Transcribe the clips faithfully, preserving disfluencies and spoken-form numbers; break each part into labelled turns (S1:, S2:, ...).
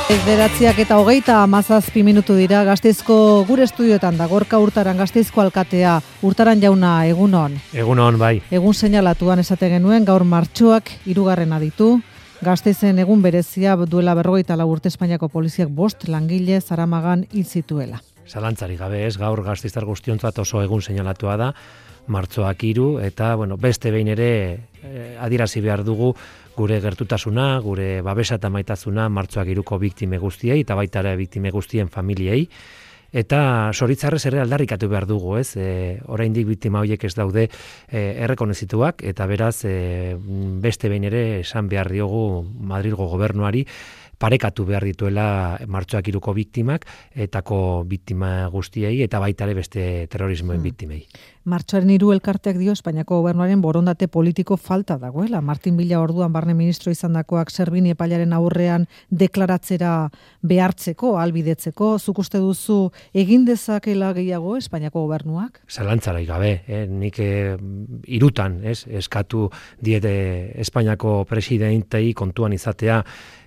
S1: Bederatziak eta hogeita hamazazpi minutu dira Gasteizko gure estudioetan da Gorka Urtaran Gasteizko alkatea. Urtaran jauna, egunon.
S2: Egunon, bai.
S1: Egun seinalatuan esate genuen gaur martxoak hirugarrena ditu. Gasteizen egun berezia duela berrogeita lau urte Espainiako poliziak bost langile Zaramagan hil zituela.
S2: Zalantzari gabe ez, gaur gasteiztar guztiontzat oso egun seinalatua da, martxoak hiru, eta bueno, beste behin ere eh, adierazi behar dugu gure gertutasuna, gure babesa eta maitasuna martxoak hiruko biktime guztiei, eta baita ere biktime guztien familiei, eta zoritzarrez ere aldarrikatu behar dugu, ez? E, oraindik biktima horiek ez daude e, errekonozituak, eta beraz e, beste behin ere esan behar diogu Madrilgo gobernuari, parekatu behar dituela martxoak hiruko biktimak, etako biktima guztiei, eta baita ere beste terrorismoen hmm. biktimei.
S1: Martxoaren hiru elkarteak dio Espainiako gobernuaren borondate politiko falta dagoela. Martin Villa orduan barne ministro izandakoak Servini epailaren aurrean deklaratzera behartzeko, albidetzeko, zuk uste duzu egin dezakela gehiago Espainiako gobernuak?
S2: Zalantzarai gabe, eh? nik eh, irutan ez, eskatu diete Espainiako presidentei kontuan izatea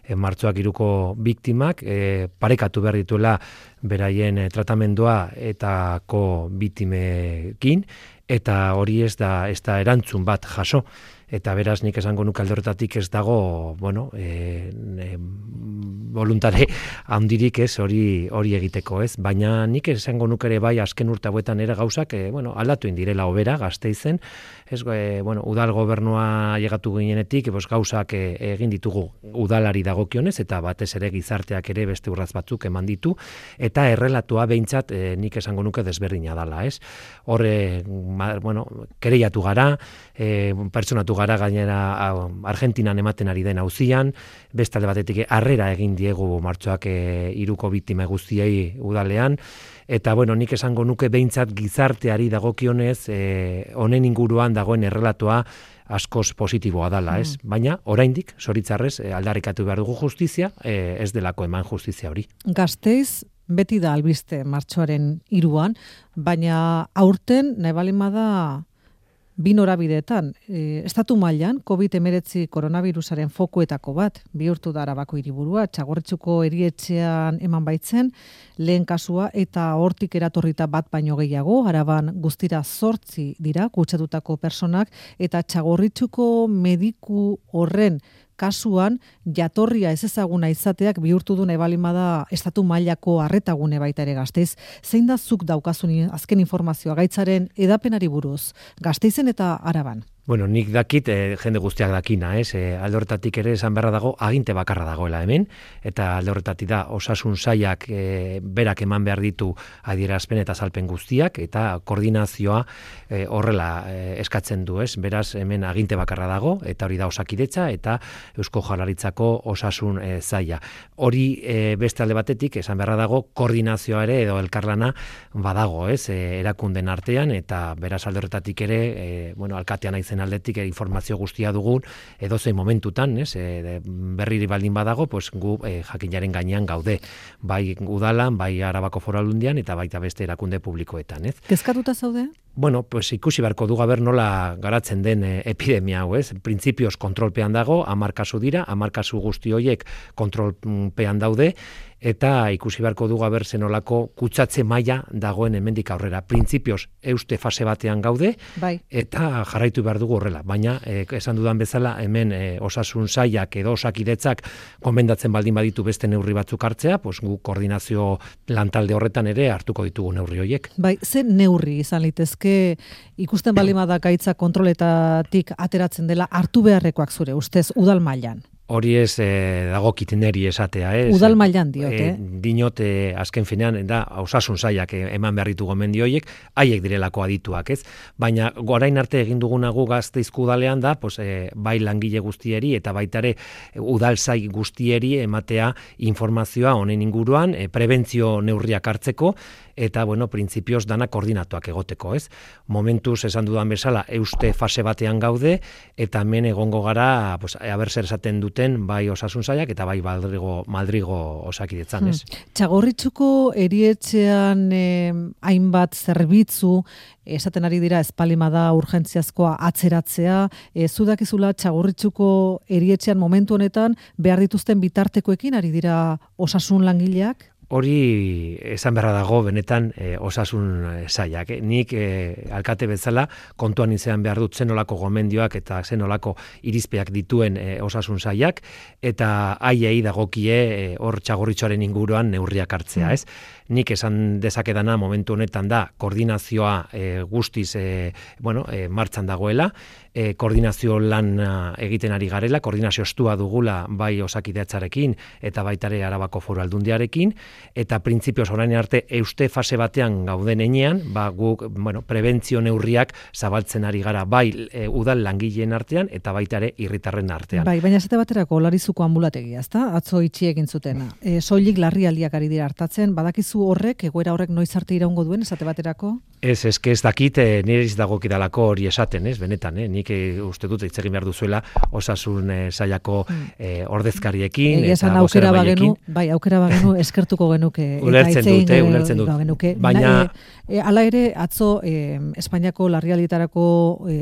S2: E, martxoak hiruko biktimak, e, parekatu behar dituela beraien e, tratamendua etako biktimekin, eta hori ez da, ez da erantzun bat jaso. Eta beraz nik esango nuke alde horretatik ez dago, bueno, e, e, voluntare handirik ez hori hori egiteko, ez? Baina nik esango nuke ere bai azken urte hauetan ere gauzak, e, bueno, aldatu indirela hobera Gasteizen, ez, e, bueno, udal gobernua llegatu ginenetik, pues gauzak e, egin ditugu udalari dagokionez, eta batez ere gizarteak ere beste urraz batzuk eman ditu, eta errelatua behintzat e, nik esango nuke desberdina dala, ez? Horre, bueno, kereiatu gara, e, pertsonatu gara gainera Argentinan ematen ari den auzian, beste alde batetik harrera egin diegu martxoak hiruko e, biktima guztiei udalean, eta bueno, nik esango nuke behintzat gizarteari dagokionez honen e, inguruan dagoen errelatoa askoz positiboa dala, ez? Mm. Baina oraindik zoritzarrez e, aldarrikatu behar dugu justizia, e, ez delako eman justizia hori.
S1: Gasteiz beti da albiste martxoaren hiruan, baina aurten nahi balin bada bi norabideetan, e, estatu mailan covid hemeretzi koronavirusaren fokuetako bat bihurtu da Arabako hiriburua, Txagorritxuko erietxean eman baitzen lehen kasua, eta hortik eratorrita bat baino gehiago, Araban guztira zortzi dira kutsatutako personak, eta Txagorritxuko mediku horren kasuan jatorria ez ezaguna izateak bihurtu du nahi balin bada estatu mailako arretagune baita ere Gasteiz. Zein da zuk daukazun azken informazioa gaitzaren edapenari buruz Gasteizen eta Araban?
S2: Bueno, nik dakit, e, jende guztiak dakina, ez? E, alde horretatik ere esan beharra dago, aginte bakarra dagoela hemen, eta alde horretatik da osasun sailak e, berak eman behar ditu adierazpen eta salpen guztiak, eta koordinazioa e, horrela e, eskatzen du, ez? Beraz, hemen aginte bakarra dago, eta hori da Osakidetza, eta Eusko Jaurlaritzako osasun e, saila. Hori e, beste alde batetik, esan beharra dago, koordinazioa ere edo elkarlana badago, ez? E, erakunden artean, eta beraz alde horretatik ere, e, bueno, alkatean aizen aldetik informazio guztia dugun edozein momentutan, ez, e, berriri baldin badago, pues gu e, jakinaren gainean gaude, bai udalan, bai Arabako Foru Aldundian eta baita beste erakunde publikoetan, ez?
S1: Kezkatuta zaude?
S2: Bueno, pues ikusi beharko du gaber nola garatzen den e, epidemia hau, ez? Printzipioz kontrolpean dago, hamar kasu dira, hamar kasu guzti horiek kontrolpean daude, eta ikusi beharko dugu aber zenolako kutsatze maila dagoen hemendik aurrera. Printzipioz euste fase batean gaude,
S1: bai.
S2: Eta jarraitu behar dugu horrela. Baina, eh, esan dudan bezala, hemen eh, osasun sailak edo Osakidetzak gomendatzen baldin baditu beste neurri batzuk hartzea, pues gu koordinazio lantalde horretan ere hartuko ditugu neurri horiek.
S1: Bai, ze neurri izan litezke ikusten baldin bada gaitza kontroletatik ateratzen dela hartu beharrekoak zure ustez udal mailan?
S2: Hori ez eh, dagokit neri esatea, ez?
S1: Udal mailan diot, eh?
S2: eh dinot, eh, azken finean, da, osasun sailak eh, eman behar ditu gomendio horiek, haiek direlako adituak, ez? Baina, orain arte egin dugunagu Gasteizko udalean da, pues, eh, bai langile guztieri eta baita ere udal sail guztieri ematea informazioa honen inguruan, eh, prebentzio neurriak hartzeko, eta, bueno, printzipioz dana koordinatuak egoteko, ez? Momentuz, esan dudan bezala, euste fase batean gaude, eta hemen egongo gara, pues, aber zer esaten dute duten bai osasun sailak eta bai Madrigo, Madrigo osakidetzan, ez?
S1: Hmm. Txagorritxuko erietxean eh, hainbat zerbitzu esaten ari dira espalimada urgentziazkoa atzeratzea, e, zudakizula Txagorritxuko erietxean momentu honetan behar dituzten bitartekoekin ari dira osasun langileak?
S2: Hori esan beharra dago benetan e, osasun sailak. Eh? Nik e, alkate bezala kontuan izan behar dut zenolako gomendioak eta zenolako irizpeak dituen e, osasun sailak eta haiei dagokie hor e, Txagorritxoaren inguruan neurriak hartzea, ez? Nik esan dezakedana momentu honetan da koordinazioa e, guztiz e, bueno, e, martxan dagoela, e, koordinazio lan egiten ari garela, koordinazio estua dugula bai Osakidetzarekin eta baitare Arabako Foru Aldundiarekin, eta printzipioz orain arte euste fase batean gauden enean, ba, guk bueno, prebentzio neurriak zabaltzen ari gara bai e, udal langileen artean eta baitare irritarren artean.
S1: Bai, baina esate baterako Olarizuko ambulategia, ezta? Atzo itxi egin zutena. E, soilik larrialdiak ari dira hartatzen, badakizu horrek, egoera horrek noiz arte iraungo duen, esate baterako? Ez,
S2: ez, ez dakit, e, nire iz dagokidalako hori esaten, ez, benetan, eh? Nik e, uste dut hitz egin behar duzuela osasun e, sailako e, ordezkariekin
S1: e,
S2: eta
S1: aukera bagenu, bai, aukera bagenu eskertuko genuke.
S2: Ulertzen dut, eh, ulertzen dut.
S1: Genuke.
S2: Baina...
S1: E, e, ala ere, atzo, e, Espainiako larrialdietarako e,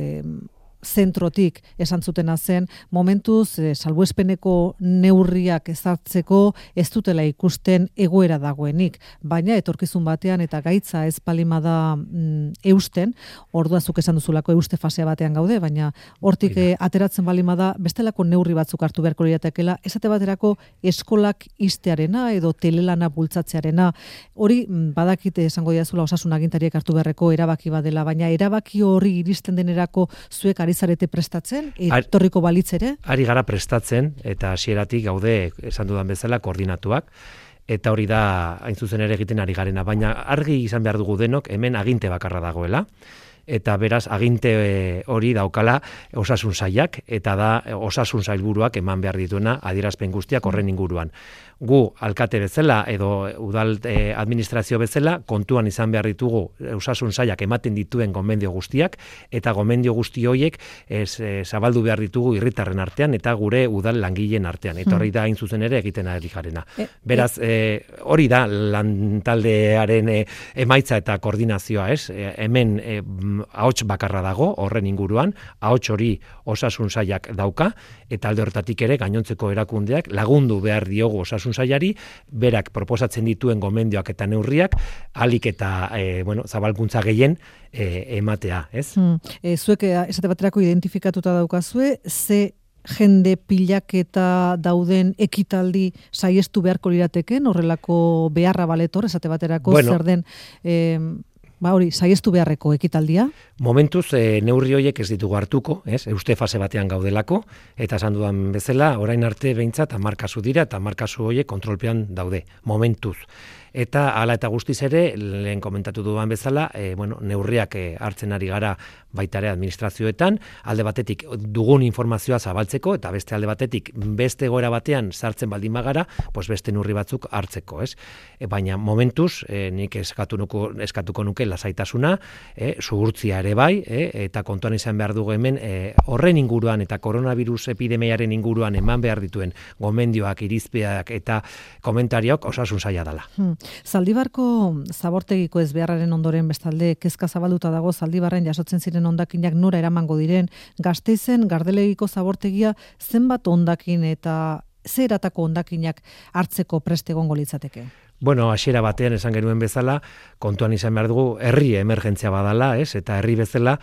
S1: zentrotik esan zutena zen, momentuz e, salbuespeneko neurriak ezartzeko ez dutela ikusten egoera dagoenik, baina etorkizun batean eta gaitza ez palimada mm, eusten, orduazuk esan duzulako euste fasea batean gaude, baina hortik e, ateratzen balimada bestelako neurri batzuk hartu beharko liratekeela, esate baterako eskolak ixtearena edo telelana bultzatzearena, hori badakite esango diazula osasun agintariek hartu beharreko erabaki badela, baina erabaki hori iristen denerako zuek ari zarete prestatzen, etorriko balitz ere?
S2: Ari gara prestatzen, eta hasieratik gaude, esan dudan bezala, koordinatuak, eta hori da, hain zuzen ere egiten ari garena, baina argi izan behar dugu denok, hemen aginte bakarra dagoela, eta beraz aginte hori daukala osasun sailak, eta da osasun sailburuak eman behar dituena adierazpen guztiak horren inguruan. Gu, alkate bezala, edo udal eh, administrazio bezala, kontuan izan behar ditugu osasun sailak ematen dituen gomendio guztiak, eta gomendio guzti horiek ez, e, zabaldu behar ditugu irritarren artean, eta gure udal langileen artean. Eta hori da hain zuzen ere egiten ari garena. E, Beraz, e, hori da lantaldearen e, emaitza eta koordinazioa, ez? E, hemen e, ahots bakarra dago, horren inguruan, ahots hori osasun sailak dauka, eta alde hortatik ere gainontzeko erakundeak lagundu behar diogu osasun sailari, berak proposatzen dituen gomendioak eta neurriak, alik eta e, bueno, zabalkuntza gehien e, ematea, ez?
S1: Hmm. E, zuek esate baterako identifikatuta daukazue, ze jende pilaketa dauden ekitaldi saiestu beharko lirateken, horrelako beharra baletor, esate baterako bueno, zer den... E, Ba hori, saiestu beharreko ekitaldia?
S2: Momentuz, e, neurri horiek ez ditugu hartuko, ez? Euste fase batean gaudelako, eta esan dudan bezala, orain arte behintzat hamar kasu dira, eta hamar kasu horiek kontrolpean daude, momentuz. Eta hala eta guztiz ere, lehen komentatu dudan bezala, e, bueno, neurriak e, hartzen ari gara baitare administrazioetan, alde batetik dugun informazioa zabaltzeko, eta beste alde batetik beste egoera batean sartzen baldin bagara, pues beste neurri batzuk hartzeko, ez? E, baina momentuz, e, nik eskatu nuko, eskatuko nuke lasaitasuna, e, zuhurtzia ere bai, e, eta kontuan izan behar dugu hemen, e, horren inguruan eta koronavirus epidemiaren inguruan eman behar dituen gomendioak, irizpeak eta komentariok osasun saila dela.
S1: Hmm. Zaldibarko zabortegiko ez beharraren ondoren bestalde kezka zabalduta dago Zaldibarren jasotzen ziren hondakinak nora eramango diren, Gasteizen Gardelegiko zabortegia zenbat hondakin eta ze eratako hondakinak hartzeko prest egongo litzateke?
S2: Bueno, hasiera batean esan genuen bezala, kontuan izan behar dugu herri emergentzia badala, ez? Eta herri bezala,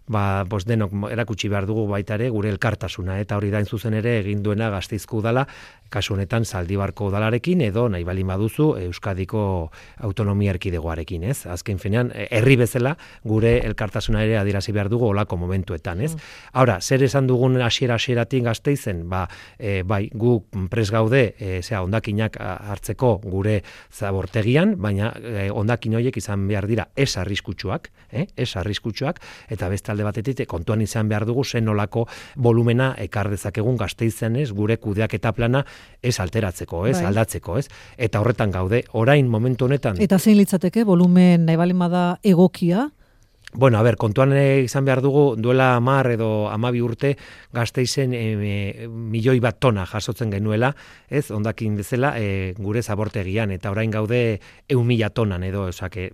S2: ba, bos denok erakutsi behar dugu baita ere gure elkartasuna, eta hori da zuzen ere egin duena Gasteizko udala, kasu honetan Zaldibarko udalarekin edo nahi balin baduzu Euskadiko autonomia erkidegoarekin, ez? Azken finean, herri bezala gure elkartasuna ere adierazi behar dugu olako momentuetan, ez? Mm. Ahora, zer esan dugun hasiera hasieratik Gasteizen, ba, e, bai, gu pres gaude, e, zera, hondakinak hartzeko gure zabortegian, baina eh, hondakin horiek izan behar dira ez arriskutsuak, eh? ez arriskutsuak, eta beste alde batetik kontuan izan behar dugu zen nolako volumena ekar dezakegun Gasteizen, ez, gure kudeaketa plana ez alteratzeko, ez, bai. aldatzeko, ez, eta horretan gaude, orain momentu honetan.
S1: Eta zein litzateke, volumen nahi balin bada egokia?
S2: Bueno, a ber, kontuan izan behar dugu, duela hamar edo hamabi urte Gasteizen e, e, milioi bat tona jasotzen genuela, ez, hondakin bezala, e, gure zabortegian, eta orain gaude ehun mila tonan edo, osake,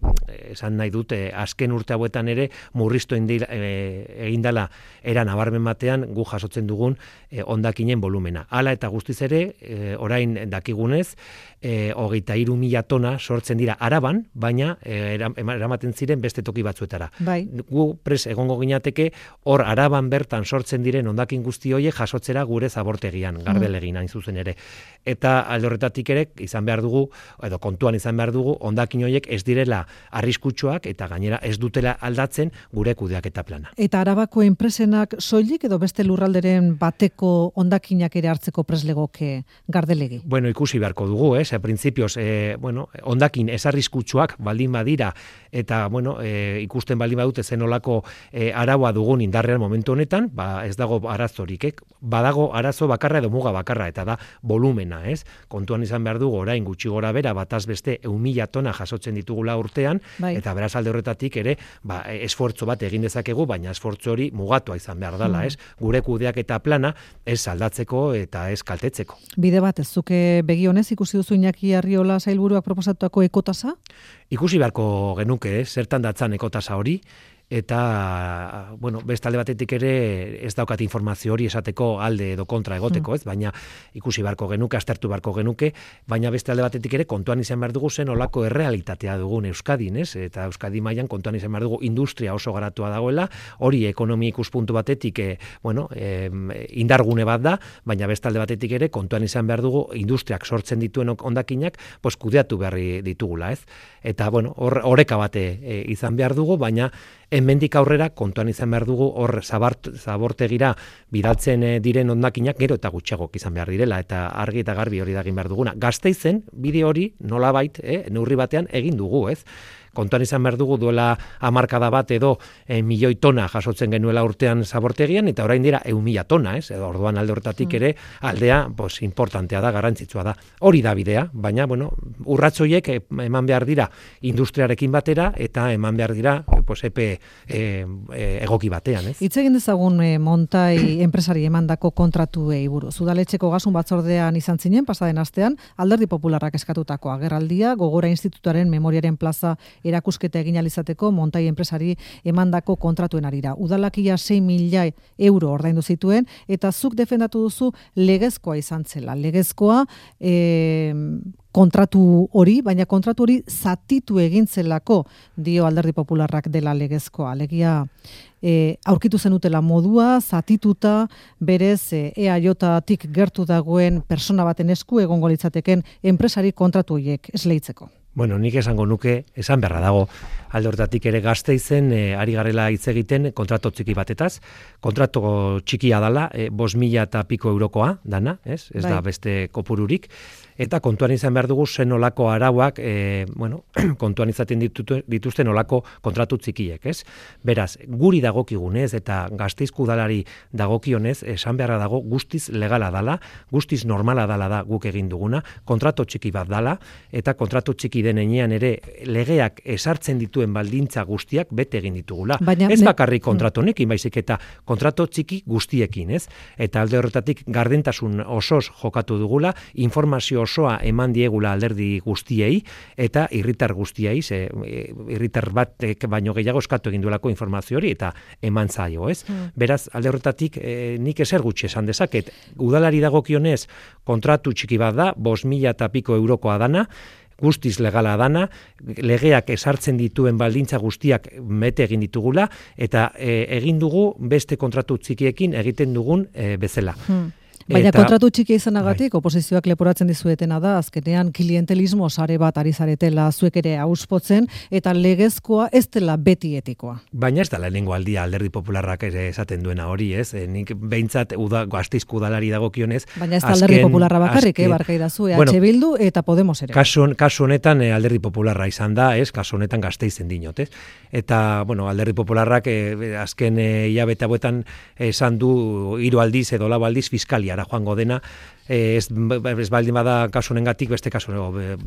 S2: esan nahi dut, e, azken urte hauetan ere murriztu indila, e, egindala era nabarmen batean gu jasotzen dugun e, hondakinen volumena. Hala eta guztiz ere, e, orain dakigunez, e, hogeita hiru mila tona sortzen dira Araban, baina e, eramaten ziren beste toki batzuetara.
S1: Bai.
S2: Gu pres egongo ginateke hor Araban bertan sortzen diren hondakin guzti horiek jasotzera gure zabortegian, Gardelegin hain zuzen ere. Eta alde horretatik ere izan behar dugu, edo kontuan izan behar dugu, hondakin horiek ez direla arriskutsuak eta gainera ez dutela aldatzen gure kudeaketa plana.
S1: Eta Arabako enpresenak soilik edo beste lurralderen bateko hondakinak ere hartzeko preslegoke Gardelegi?
S2: Bueno, ikusi beharko dugu, ez? Printzipioz, eh, bueno, hondakin ez arriskutsuak baldin badira eta bueno, e, ikusten baldin badute zen olako e, araua dugun indarrean momentu honetan, ba ez dago arazorik, eh? Badago arazo bakarra edo muga bakarra, eta da volumena, ez? Kontuan izan behar dugu orain gutxi gora bera bataz beste ehun mila tona jasotzen ditugula urtean, bai. Eta beraz alde horretatik ere, ba, esfortzo bat egin dezakegu, baina esfortzo hori mugatua izan behar dela, ez? Gure kudeaketa plana ez aldatzeko eta ez kaltetzeko.
S1: Bide bat, ez zuke begi honez ikusi duzu Iñaki Arriola sailburuak proposatuako ekotasa?
S2: Ikusi beharko genuke, eh? Zertan datzan ekotasa hori, eta, bueno, beste alde batetik ere ez daukat informazio hori esateko alde edo kontra egoteko, ez? Baina ikusi beharko genuke, aztertu beharko genuke, baina beste alde batetik ere kontuan izan behar dugu zen olako errealitatea dugun Euskadin, ez? Eta Euskadi mailan kontuan izan behar dugu industria oso garatua dagoela, hori ekonomia ikuspuntu batetik, e, bueno, e, indargune bat da, baina beste alde batetik ere kontuan izan behar dugu industriak sortzen dituen hondakinak, pues kudeatu berri ditugula, ez? Eta, bueno, hor, oreka bate e, izan behar dugu, baina hemendik aurrera kontuan izan behar dugu hor zabart, zabortegira bidaltzen diren hondakinak gero eta gutxiagok izan behar direla, eta argi eta garbi hori da egin behar duguna. Gasteizen bide hori nolabait, eh, neurri batean egin dugu, ez? Kontuan izan behar dugu duela hamarkada bat edo e, milioi tona jasotzen genuela urtean zabortegian, eta orain dira ehun mila tona, ez? Edo orduan alde horretatik ere aldea, pues, importantea da, garrantzitsua da. Hori da bidea, baina, bueno, urratzoiek eman behar dira industriarekin batera, eta eman behar dira, pues, epe e, e, egoki batean, ez?
S1: Hitz egin dezagun e, Montai enpresari emandako kontratuei buruz. Udaletxeko gasun batzordean izan zinen, pasaden astean, Alderdi Popularrak eskatutako agerraldia, Gogora Institutuaren Memoriaren Plaza erakusketa egin alizateko Montai enpresari emandako kontratuen arira. Udalakia sei mila euro ordaindu zituen, eta zuk defendatu duzu legezkoa izan zela. Legezkoa e, kontratu hori, baina kontratu hori zatitu egin zelako dio Alderdi Popularrak dela legezkoa. Alegia e, aurkitu zenutela modua, zatituta, berez e, E A J-tik gertu dagoen persona baten esku egongo litzateken enpresari kontratu horiek esleitzeko.
S2: Bueno, nik esango nuke, esan beharra dago, alde hortatik ere Gasteizen e, ari garela hitz egiten kontrato txiki batetaz, kontrato txikia dala, e, bost mila eta piko eurokoa dana, ez? Ez da beste kopururik, eta kontuan izan behar dugu zen olako arauak, e, bueno, kontuan izaten ditut, dituzten olako kontratu txikiek, ez? Beraz, guri dagokigunez eta Gasteizko udalari dagokionez, esan beharra dago guztiz legala dala, guztiz normala dala da guk egin duguna, kontrato txiki bat dala, eta kontratu txiki den enean ere legeak esartzen dituen baldintza guztiak bete egin ditugula. Baina, ez bakarrik kontratu honekin, baizik eta kontratu txiki guztiekin, ez? Eta alde horretatik gardentasun osoz jokatu dugula, informazio osoa eman diegula alderdi guztiei, eta irritar guztiei, ze irritar batek baino gehiago eskatu egin duelako informazio hori, eta eman zaio, ez? Hmm. Beraz, alde horretatik e, nik ezer gutxi esan dezaket, udalari dagokionez kontratu txiki bat da, bost mila eta piko eurokoa dana, guztiz legala dana, legeak esartzen dituen baldintza guztiak mete egin ditugula, eta e, egin dugu beste kontratu txikiekin egiten dugun e, bezala. Hmm.
S1: Baina eta, kontratu txikia izanagatik, bai. Oposizioak leporatzen dizuetena da, azkenean klientelismo sare bat ari zaretela zuek ere auspotzen, eta legezkoa ez dela beti etikoa.
S2: Baina ez da lehenengo aldia Alderdi Popularrak ere esaten duena hori, ez? E, nik behintzat uda, Gasteizko udalari dagokionez.
S1: Baina ez da Alderdi Popularra bakarrik, azken, eh, barkaidazu, eh, bueno, H Bildu eta Podemos ere.
S2: Kasu, kasu honetan eh, Alderdi Popularra izan da, ez? Kasu honetan Gasteizen dinot, ez? Eta, bueno, Alderdi Popularrak eh, azken hilabete eh, hauetan esan du hiru aldiz edo lau aldiz fiskalia joango dena, ez, ez baldin bada kasu honengatik, beste kasu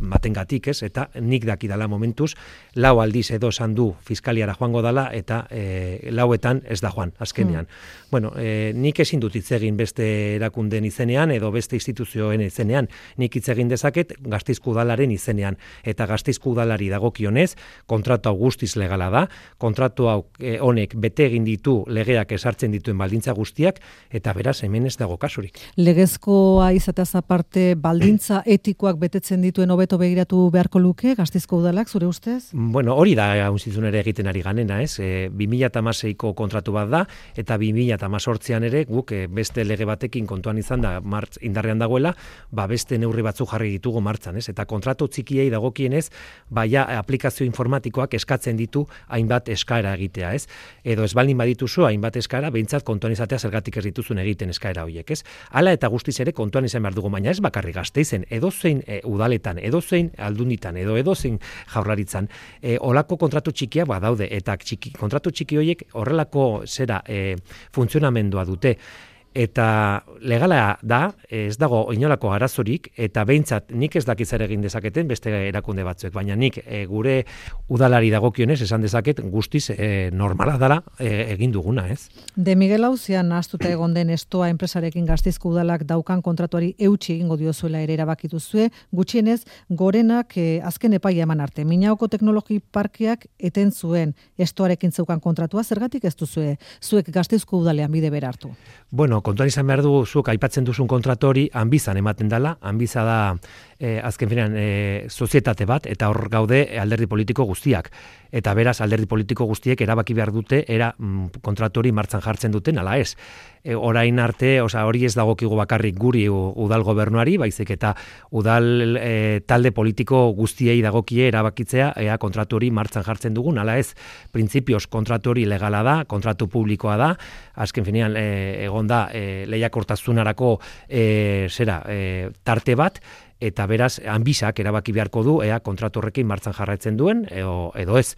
S2: batengatik, ez? Eta nik dakidala momentuz, lau aldiz edo esan du fiskaliara joango dala, eta e, lauetan ez da joan, azkenean. Mm. Bueno, e, nik ezin dut hitz egin beste erakunden izenean, edo beste instituzioen izenean, nik hitz egin dezaket Gasteizko udalaren izenean, eta Gasteizko udalari dagokionez, kontratu hau guztiz legala da, kontratu hau e, honek bete egin ditu legeak esartzen dituen baldintza guztiak, eta beraz hemen ez dago kasurik.
S1: Legezkoa izateaz aparte, baldintza etikoak betetzen dituen hobeto begiratu beharko luke Gasteizko udalak, zure ustez?
S2: Bueno, hori da haunzizun ere egiten ari ganena, ez? E, bi mila hamaseiko kontratu bat da, eta bi mila hemezortzian ere guk e, beste lege batekin kontuan izan da martz, indarrean dagoela, ba beste neurri batzu jarri ditugu martzan, ez? Eta kontratu txikiei dagokienez, baia aplikazio informatikoak eskatzen ditu hainbat eskaera egitea, ez? Edo ez baldin badituzu hainbat eskaera, behintzat kontuan izatea zergatik ez dituzun egiten eskaera horiek, ez? Hala eta guztiz ere kontuan izan behar dugu, baina ez bakarrik Gasteizen, edozein e, udaletan, edozein aldunditan, edo edozein jaurlaritzan, e, olako kontratu txikia badaude, eta txiki, kontratu txiki horiek horrelako zera e, funtzionamendua dute. Eta legala da, ez dago inolako arazorik, eta behintzat nik ez dakiz ere egin dezaketen beste erakunde batzuek, baina nik e, gure udalari dagokionez esan dezaket guztiz e, normala dela e, egin duguna, ez?
S1: De Miguel Auzian nahaztuta egon den estoa enpresarekin Gasteizko udalak daukan kontratuari eutsi egingo diozuela ere erabakitu zue, gutxienez gorenak e, azken epaia eman arte. Minaoko teknologi parkeak eten zuen estoarekin zeukan kontratua, zergatik ez duzue zuek Gasteizko udalean bide bera hartu?
S2: Bueno, kontuan izan behar dugu, zuk aipatzen duzun kontratori hanbizan ematen dela, hanbiza da e, azken finean e, sozietate bat, eta hor gaude alderdi politiko guztiak. Eta beraz, alderdi politiko guztiek erabaki behar dute, era mm, kontratori martzan jartzen duten, ala ez. E, orain arte, oza, hori ez dagokigu bakarrik guri udal gobernuari, baizik eta udal e, talde politiko guztiei dagokie erabakitzea, ea kontratori martzan jartzen dugun, ala ez. Printzipioz kontratori legala da, kontratu publikoa da, azken finean e, egon da e, lehiakortasunarako e, zera, e, tarte bat, eta beraz, hanbizak erabaki beharko du, ea kontratu horrekin martzan jarraitzen duen, edo, edo ez.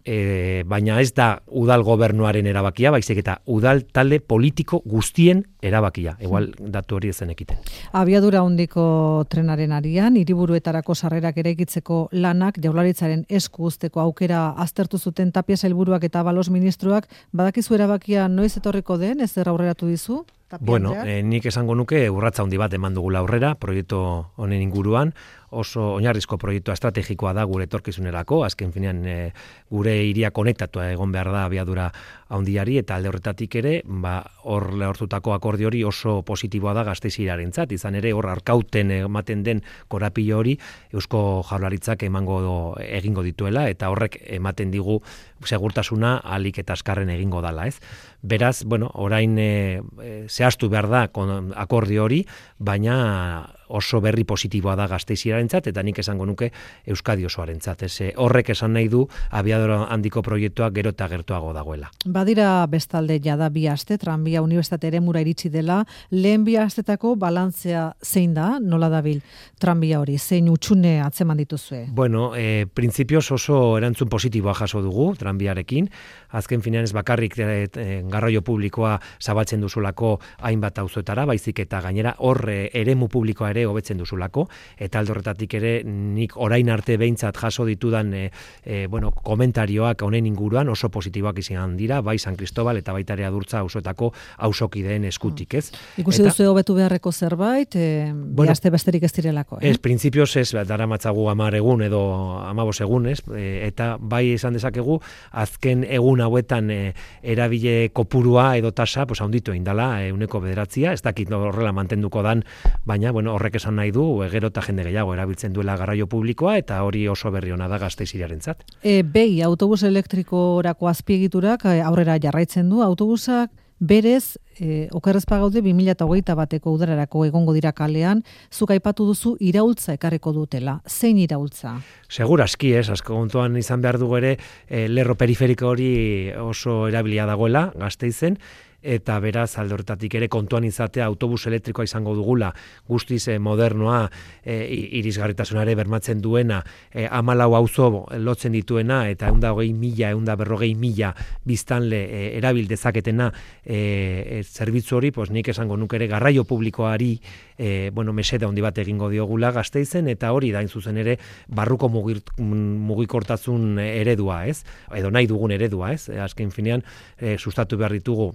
S2: E, baina ez da udal gobernuaren erabakia, baizik eta udal talde politiko guztien erabakia. Igual datu hori ezen ekiten.
S1: Abiadura handiko trenaren arian, hiriburuetarako sarrerak eraikitzeko lanak jaurlaritzaren esku uzteko aukera aztertu zuten Tapia sailburuak eta Balos ministroak, badakizu erabakia noiz etorriko den, ez zer aurreratu dizu?
S2: Bueno, eh, nik esango nuke urratsa handi bat eman dugula aurrera, proiektu honen inguruan, oso oinarrizko proiektua estrategikoa da gure etorkizunerako, azken finean e, gure hiria konektatua egon behar da abiadura handiari, eta alde horretatik ere, ba, hor lehortutako akordio hori oso positiboa da Gasteiz hiriarentzat, izan ere hor arkauten ematen den korapilo hori Eusko Jaurlaritzak emango do, egingo dituela, eta horrek ematen digu segurtasuna ahalik eta azkarren egingo dala, ez? Beraz, bueno, orain e, e, zehaztu behar da kon, akordio hori, baina oso berri positiboa da Gasteizirarentzat, eta nik esango nuke Euskadi osoarentzat. Ez, horrek esan nahi du abiadura handiko proiektua gero eta gertuago dagoela.
S1: Badira bestalde jada bi aste, tranbia unibertsitate eremura iritsi dela, lehen bi astetako balantzea zein da, nola dabil tranbia hori, zein utxune atzeman dituzue?
S2: Bueno, e, printzipioz oso erantzun positiboa jaso dugu tranbiarekin, azken finean ez bakarrik e, e, garraio publikoa zabaltzen duzulako hainbat auzoetara, baizik eta gainera hor e, eremu publikoa ere hobetzen duzulako, eta alde horretatik ere nik orain arte behintzat jaso ditudan e, e, bueno, komentarioak honen inguruan oso positiboak izan dira, bai San Cristobal eta baita ere Adurtza auzoetako auzokideen eskutik, ez?
S1: Ikusi duzu hobetu beharreko zerbait, e, bueno, bihazte besterik ez direlako, eh?
S2: Ez, printzipioz ez, daramatzagu hamar egun edo hamabos egun, ez? E, eta bai esan dezakegu, azken egun hauetan e, erabile kopurua edo tasa, pues handitu egin dela, ehuneko bederatzia, ez dakit horrela mantenduko dan, baina, bueno, horrek esan nahi du, gero eta jende gehiago erabiltzen duela garraio publikoa, eta hori oso berri ona da Gasteiz hiriarentzat.
S1: E, Bei, autobus elektrikorako azpiegiturak aurrera jarraitzen du, autobusak berez, e, okerrezpa gaude bi mila hogeita bateko udararako egongo dira kalean, zuk aipatu duzu iraultza ekarriko dutela. Zein iraultza?
S2: Segurazki, ez, asko kontuan izan behar dugu ere, e, lerro periferiko hori oso erabilia dagoela Gasteizen, eta beraz alde horretatik ere kontuan izatea autobus elektrikoa izango dugula, guztiz eh, modernoa, eh, irisgarritasunare bermatzen duena, eh, hamalau auzo lotzen dituena, eta ehun eta hogei mila, ehun eta berrogei mila biztanle eh, erabil dezaketena eh, zerbitzu hori, pues nik esango nuke ere garraio publikoari eh, bueno, mesede handi bat egingo diogula Gasteizen, eta hori da in zuzen ere barruko mugir, mugikortasun eredua, ez? Edo nahi dugun eredua, ez? Azken finean eh, sustatu behar ditugu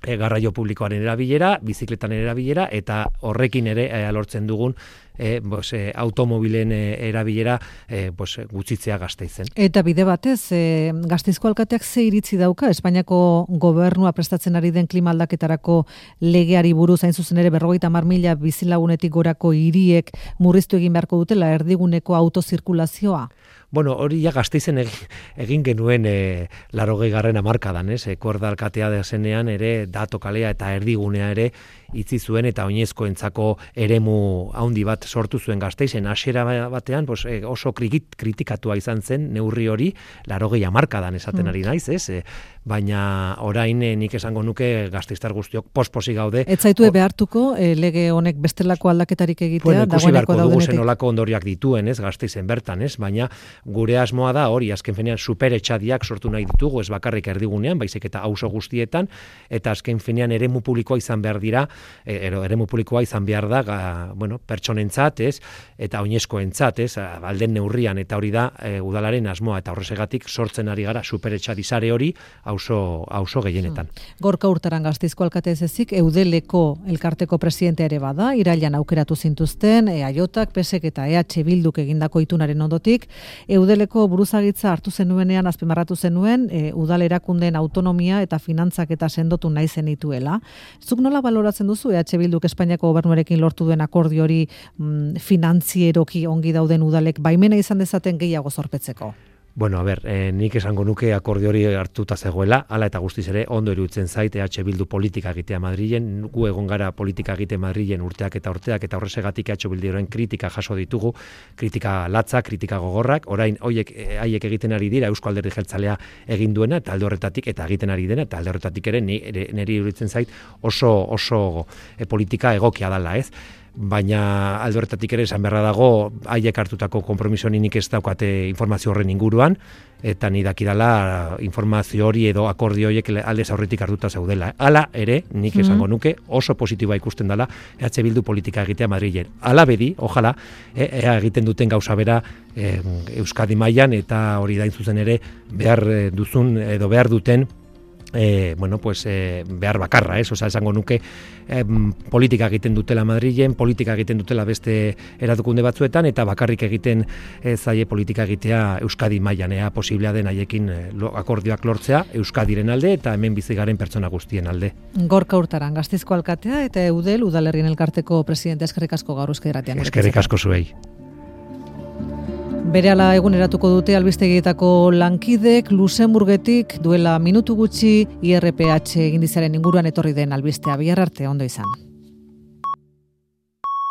S2: E, garraio publikoaren erabilera, bizikletan erabilera, eta horrekin ere e, lortzen dugun e, bos, e, automobilen e, erabilera e, bos, gutxitzea Gasteizen.
S1: Eta bide batez, e, Gasteizko alkateak ze iritzi dauka, Espainiako gobernua prestatzen ari den klima aldaketarako legeari buruz, hain zuzen ere berrogeita hamar mila bizilagunetik gorako hiriek murriztu egin beharko dutela erdiguneko autozirkulazioa?
S2: Bueno, hori ja Gasteizen egin, egin genuen e, larogei garren hamarkadan, ez? E, Korda alkatea da zenean ere dato kalea eta erdigunea ere itzi zuen eta oinezkoentzako eremu handi bat sortu zuen Gasteizen. Hasiera batean pues, oso kritikatua izan zen neurri hori larogei hamarkadan esaten ari naiz, ez? E, baina orain e, nik esango nuke Gasteiztar guztiok posposi gaude.
S1: Ez zaitu behartuko e, lege honek bestelako aldaketarik egitea?
S2: Bueno, ikusi beharko dugu zen olako ondoriak dituen, ez? Gasteizen bertan, ez? Baina gure asmoa da hori, azken finean superetxadiak sortu nahi ditugu, ez bakarrik erdigunean, baizik eta auzo guztietan, eta azken finean eremu publikoa izan behar dira, ero, eremu publikoa izan behar da, ga, bueno, pertsonentzat, ez, eta oinezkoentzat, ez, alden neurrian, eta hori da e, udalaren asmoa, eta horrezegatik sortzen ari gara superetxadi sare hori auzo auzo gehienetan.
S1: Hmm. Gorka Urtaran Gasteizko alkate ez ezik, Eudeleko elkarteko presidentea ere bada, irailan aukeratu zintuzten, E A J-ak, P S ek eta E H Bilduk egindako itunaren ondotik, Eudeleko buruzagitza hartu zenuenean azpimarratu zenuen, e, udal erakundeen autonomia eta finantzak eta sendotu nahi zenituela. Zuk nola baloratzen duzu E H Bilduk Espainiako gobernuarekin lortu duen akordio hori mm, finantzieroki ongi dauden udalek baimena izan dezaten gehiago zorpetzeko?
S2: Bueno, a ber, eh, nik esango nuke akordio hori hartuta zegoela, hala eta guztiz ere ondo iruditzen zait E H Bildu politika egitea Madrilen, gu egon gara politika egite Madrilen urteak eta urteak, eta horrezegatik E H Bilduren kritika jaso ditugu, kritika latza, kritika gogorrak, orain hoiek haiek egiten ari dira Eusko Alderdi Jeltzalea egin duena, eta alde horretatik eta egiten ari dena, eta alde horretatik ere niri iruditzen zait oso oso e, politika egokia dela, ez? Baina alde horretatik ere esan beharra dago haiek hartutako konpromisonik ez daukate informazio horren inguruan, eta ni dakidala informazio hori edo akordio horiek aldez aurretik hartuta zaudela. Hala ere, nik esango nuke oso positiboa ikusten dela E H Bildu politika egitea Madrilen. Hala bedi, ojala, e, ea egiten duten gauza bera e, Euskadi mailan, eta hori da in zuzen ere behar duzun edo behar duten E, bueno, pues, e, behar bakarra, ez? Osa, esango nuke e, politika egiten dutela Madrilen, politika egiten dutela beste erakunde batzuetan, eta bakarrik egiten e, zaie politika egitea Euskadi mailan, ea posiblea den haiekin e, lo, akordioak lortzea Euskadiren alde eta hemen bizi garen pertsona guztien alde.
S1: Gorka Urtaran, Gasteizko alkatea eta Eudel Udalerrien elkarteko presidente, eskerrik asko gaur Euskadi Irratian.
S2: Eskerrik asko zuei.
S1: Berehala eguneratuko dute albistegietako lankidek Luxemburgetik duela minutu gutxi I R P H egindizaren inguruan etorri den albistea. Bihar arte ondo izan.